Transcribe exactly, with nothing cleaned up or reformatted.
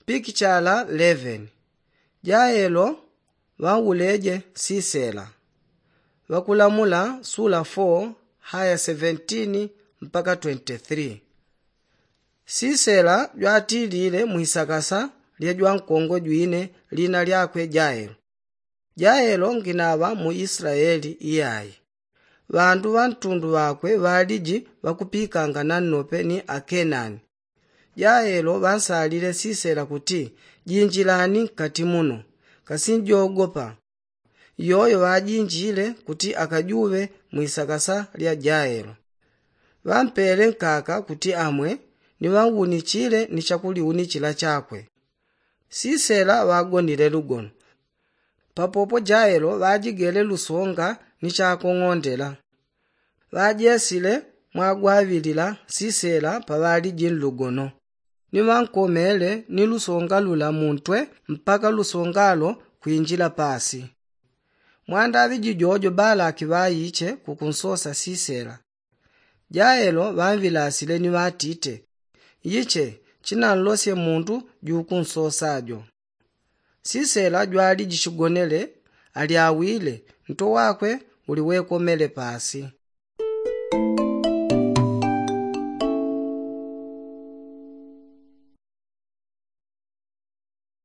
Pikichala eleven. Jaelo ŵauleje sisela. Ŵakulamula sula four haya seventeen mpaka twenty-three. Sisela jwatilile mwisakasa lya jwankongo jwine lina lyakwe jaelo. Jaelo nginaŵa mu isilaeli iyai. Ŵandu ŵa ntundu ŵakwe ŵaliji ŵakupikanga nannope ni akenani. Jaelo ŵansalile sisela kuti, jinjilani nkati muno, kasinjogopa. Iyoyo ŵajinjile kuti akajuŵe mwisakasa lya jaelo. Ŵampele nkaka kuti amwe, ni ŵanwunichile ni chakuliunichila chakwe. Sisela ŵagonile lugono. Papopo jaelo ŵajigele lusonga ni chakong'ondela. Ŵajesile mwagwaŵilila sisela paŵaliji nlugono, ni ŵankomele ni lusonga lula muntwe mpaka lusongalo kwinjila pasi. Mwandaŵi jijojo balaki ŵaiche kukunsosa sisela. Jaelo ŵanŵilasile ni ŵatite, iche chinanlosye mundu jukunsosa jo. Sisela jwaliji chigonele, alyawile, nto wakwe uli wekomele pasi.